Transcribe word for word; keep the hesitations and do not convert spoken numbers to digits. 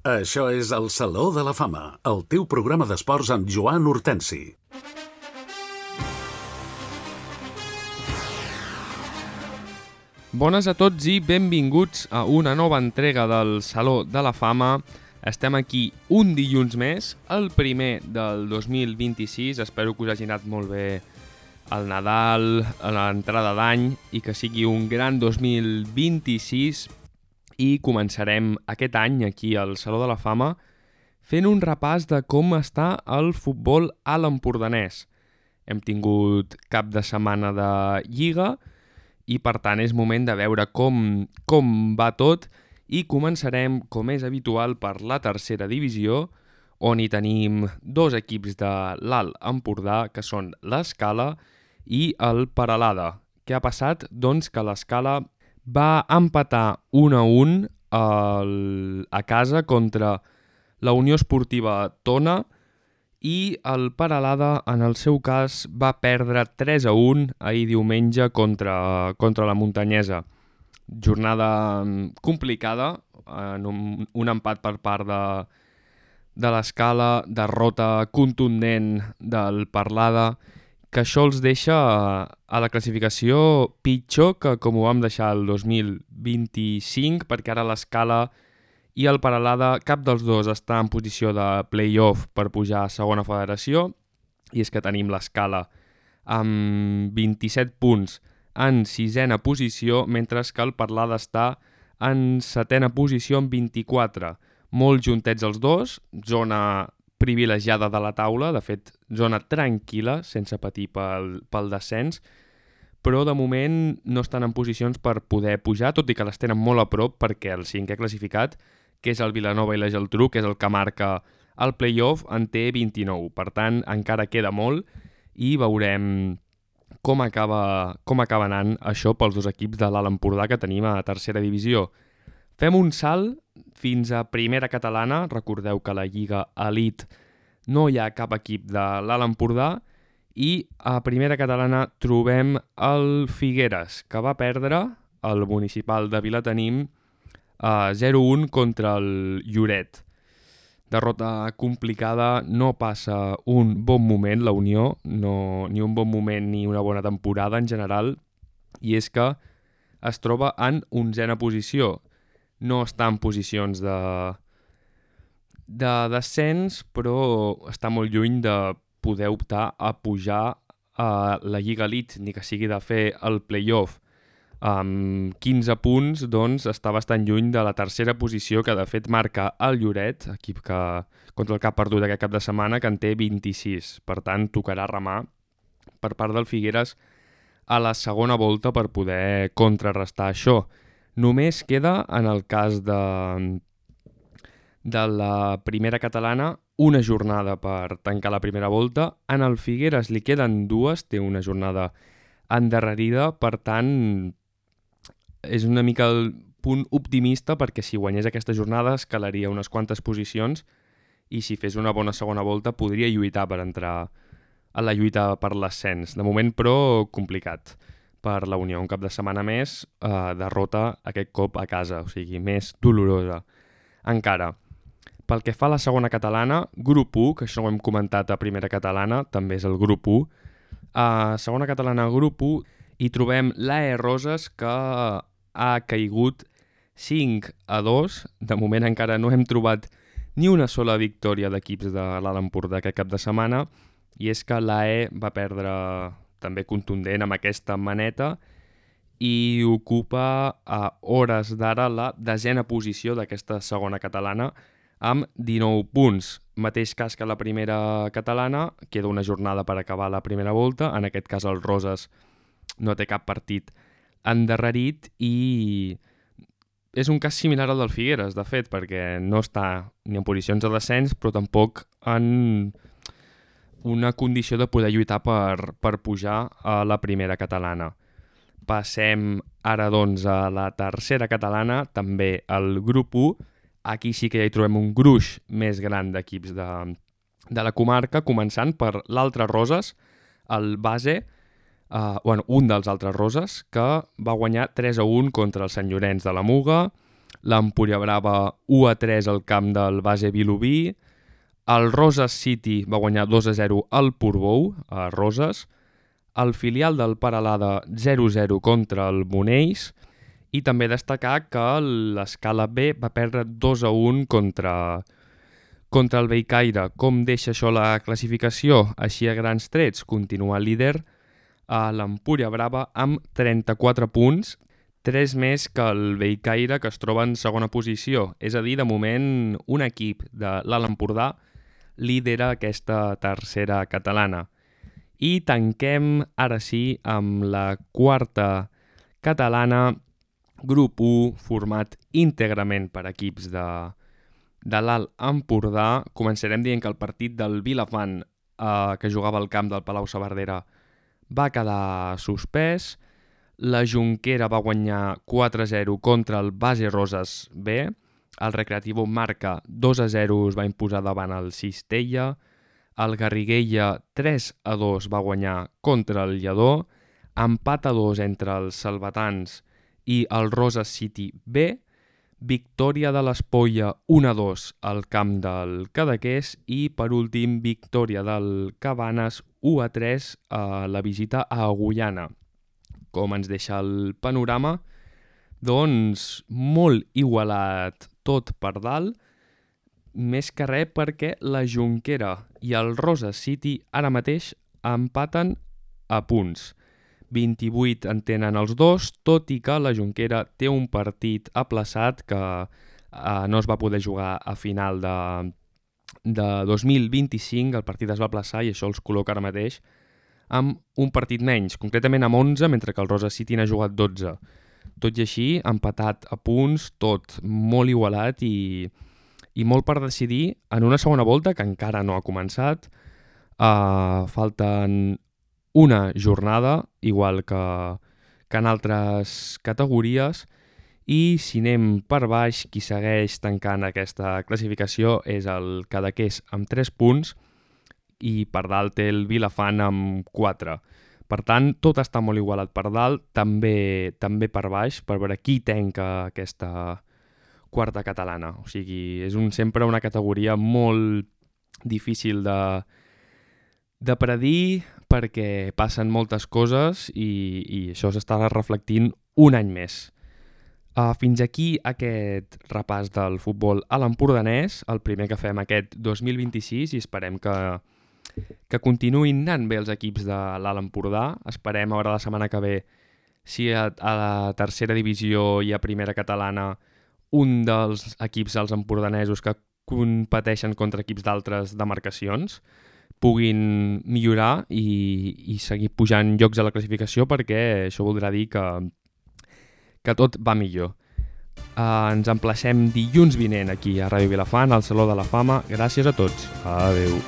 Això és el Saló de la Fama, el teu programa d'esports amb Joan Hortensi. Bones a tots i benvinguts a una nova entrega del Saló de la Fama. Estem aquí un dilluns més, el primer del dos mil vint-i-sis. Espero que us hagi anat molt bé el Nadal, l'entrada d'any i que sigui un gran dos mil vint-i-sis. I començarem aquest any aquí al Saló de la Fama fent un repàs de com està el futbol a l'empordanès. Hem tingut cap de setmana de Lliga i per tant és moment de veure com, com va tot i començarem, com és habitual, per la tercera divisió, on hi tenim dos equips de l'Alt Empordà, que són l'Escala i el Peralada. Què ha passat? Doncs que l'Escala va empatar un a un el, a casa contra la Unió Esportiva Tona i el Peralada, en el seu cas, va perdre tres a un ahir diumenge contra, contra la Muntanyesa. Jornada complicada, en un, un empat per part de, de l'Escala, derrota contundent del Peralada, que això els deixa a la classificació pitjor que com ho vam deixar el dos mil vint-i-cinc, perquè ara l'Escala i el Peralada, cap dels dos està en posició de play-off per pujar a segona federació, i és que tenim l'Escala amb vint-i-set punts en sisena posició, mentre que el Peralada està en setena posició amb vint-i-quatre. Molt juntets els dos, zona privilegiada de la taula, de fet, zona tranquil·la, sense patir pel, pel descens, però de moment no estan en posicions per poder pujar, tot i que les tenen molt a prop, perquè el cinquè classificat, que és el Vilanova i la Geltrú, que és el que marca el play-off, en té vint-i-nou. Per tant, encara queda molt i veurem com acaba, com acaba anant això pels dos equips de l'Alt Empordà que tenim a tercera divisió. Fem un salt fins a primera catalana. Recordeu que a la Lliga Elite no hi ha cap equip de l'Alt Empordà i a primera catalana trobem el Figueres, que va perdre el municipal de Vilatenim a zero a un contra el Lloret. Derrota complicada, no passa un bon moment la Unió, no, ni un bon moment ni una bona temporada en general, i és que es troba en onzena posició. No està en posicions de, de descens, però està molt lluny de poder optar a pujar a la Lliga Elite, ni que sigui de fer el play-off. Amb quinze punts, doncs, està bastant lluny de la tercera posició, que de fet marca el Lloret, equip que, contra el que ha perdut aquest cap de setmana, que en té vint-i-sis. Per tant, tocarà remar per part del Figueres a la segona volta per poder contrarrestar això. Només queda, en el cas de, de la primera catalana, una jornada per tancar la primera volta. En el Figueres li queden dues, té una jornada endarrerida, per tant, és una mica el punt optimista, perquè si guanyés aquesta jornada escalaria unes quantes posicions i si fes una bona segona volta podria lluitar per entrar a la lluita per l'ascens. De moment, però, complicat per la Unió. Un cap de setmana més, eh, derrota aquest cop a casa, o sigui, més dolorosa encara. Pel que fa a la segona catalana, grup u, que això ho hem comentat a primera catalana, també és el grup u. A segona catalana, grup u, hi trobem l'A E Roses, que ha caigut cinc a dos. De moment encara no hem trobat ni una sola victòria d'equips de l'Alt Empordà aquest cap de setmana, i és que l'A E va perdre també contundent amb aquesta maneta i ocupa a hores d'ara la desena posició d'aquesta segona catalana amb dinou punts. Mateix cas que la primera catalana, queda una jornada per acabar la primera volta, en aquest cas el Roses no té cap partit endarrerit i és un cas similar al del Figueres, de fet, perquè no està ni en posicions de descens, però tampoc en una condició de poder lluitar per, per pujar a la primera catalana. Passem ara, doncs, a la tercera catalana, també el grup u. Aquí sí que ja hi trobem un gruix més gran d'equips de, de la comarca, començant per l'altre Roses, el base, Uh, bueno, un dels altres Roses, que va guanyar tres a un contra el Sant Llorenç de la Muga, l'Empúria Brava u a tres al camp del base Vilobí, el Roses City va guanyar dos a zero al Portbou, a Roses, el filial del Peralada zero a zero contra el Monells, i també destacar que l'Escala B va perdre dos a un contra, contra el Bellcaire. Com deixa això la classificació? Així a grans trets, continua líder a l'Empúria Brava amb trenta-quatre punts, tres més que el Bellcaire, que es troba en segona posició. És a dir, de moment, un equip de l'Alt Empordà lidera aquesta tercera catalana. I tanquem, ara sí, amb la quarta catalana, grup u, format íntegrament per equips de, de l'Alt Empordà. Començarem dient que el partit del Vilafant, eh, que jugava al camp del Palau-saverdera, va quedar suspès. La Jonquera va guanyar quatre a zero contra el Base Roses B. El Recreativo Marca dos a zero es va imposar davant el Cistella. El Garriguella tres a dos va guanyar contra el Lledó. Empat a dos entre els salvatans i el Roses City B, victòria de l'Espolla un a dos al camp del Cadaqués i, per últim, victòria del Cabanes u a tres a la visita a Agullana. Com ens deixa el panorama? Doncs molt igualat tot per dalt, més que res perquè la Jonquera i el Roses City ara mateix empaten a punts. vint-i-vuit en tenen els dos, tot i que la Jonquera té un partit aplaçat que eh, no es va poder jugar a final de, de dos mil vint-i-cinc, el partit es va aplaçar i això els col·loca ara mateix amb un partit menys, concretament amb onze, mentre que el Roses City n'ha jugat dotze. Tot i així, empatat a punts, tot molt igualat i, i molt per decidir en una segona volta que encara no ha començat. Uh, falten una jornada, igual que, que en altres categories, i si anem per baix, qui segueix tancant aquesta classificació és el Cadaqués amb tres punts i per dalt té el Vilafant amb quatre. Per tant, tot està molt igualat per dalt, també, també per baix, per veure qui tanca aquesta quarta catalana. O sigui, és un, sempre una categoria molt difícil de, de predir, perquè passen moltes coses i, i això s'està reflectint un any més. Uh, fins aquí aquest repàs del futbol a l'empordanès, el primer que fem aquest dos mil vint-i-sis, i esperem que, que continuïn anant bé els equips de l'Alt Empordà. Esperem a veure la setmana que ve si a, a la tercera divisió i a primera catalana un dels equips dels empordanesos que competeixen contra equips d'altres demarcacions puguin millorar i, i seguir pujant llocs a la classificació, perquè això voldrà dir que, que tot va millor. Uh, ens emplacem dilluns vinent aquí a Ràdio Vilafant, al Saló de la Fama. Gràcies a tots. Adéu.